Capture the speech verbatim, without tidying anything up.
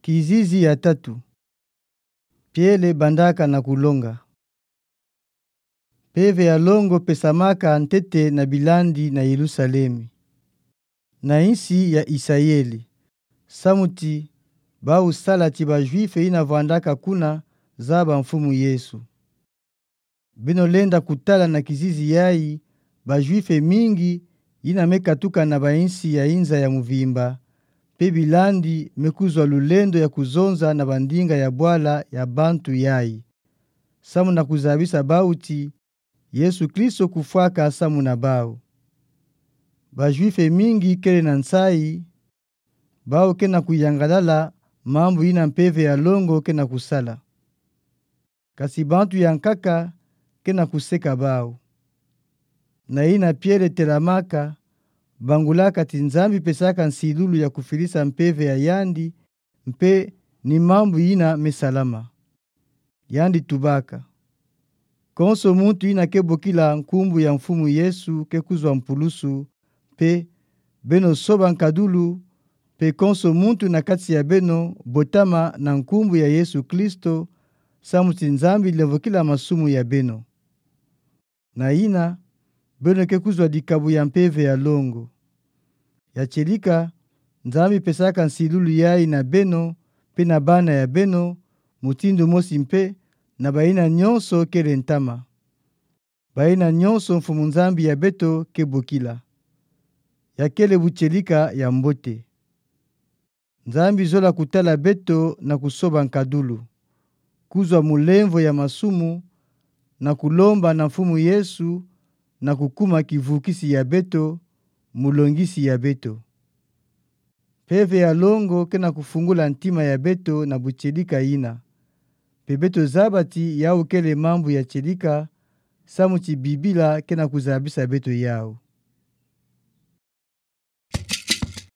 Kizizi ya tatu. Piele bandaka na kulonga. Mpeve ya longo pesamaka ntete na bilandi na Yelusalemi, na insi ya Isayeli, samu ti bau sala ti ba Juife yina vwandaka kuna zaba Mfumu Yesu. Beno lenda kutala na kizizi yayi, ba Juife mingi yina me katuka na ba insi ya inza ya muvimba, mpe bilandi me kuzwa lulendo ya kuzonza na ba ndinga ya bwala ya bantu yayi, samu na kuzabisa bau ti Yesu Kristo kufwaka samu na bau. Ba Juife mingi kele na nsayi, bau ke na kuyangalala mambu yina mpeve ya longo ke na kusala. Kasi bantu ya nkaka ke na kuseka bau. Na yina Piele telamaka, bangulaka ti Nzambi pesaka nsilulu ya kufidisa mpeve ya yandi, mpe ni mambu yina me salama. Yandi tubaka: Konso muntu yina ke bokila nkumbu ya Mfumu Yesu ke kuzwa mpulusu, mpe beno soba nkadulu, mpe konso muntu na kati ya beno botama na nkumbu ya Yesu Kristo, samu ti Nzambi lemvokila masumu ya beno. Na yina, beno ke kuzwa dikabu ya mpeve ya longo. Ya tielika, Nzambi pesaka nsilulu yayi na beno, mpe na bana ya beno, mutindu mosi mpe na bayina nyonso kele ntama. Bayina nyonso Mfumu Nzambi ya beto ke bokila. Ya kele butielika ya mbote. Nzambi zola kutala beto na kusoba nkadulu, kuzwa mulemvo ya masumu, na kulomba na Mfumu Yesu, na kukuma kivukisi ya beto, mulongisi ya beto. Mpeve ya longo ke na kufungula ntima ya beto na butielika yina. Mpe beto zaba ti yau kele mambu ya tielika, samu ti Bibila ke na kuzabisa beto yau.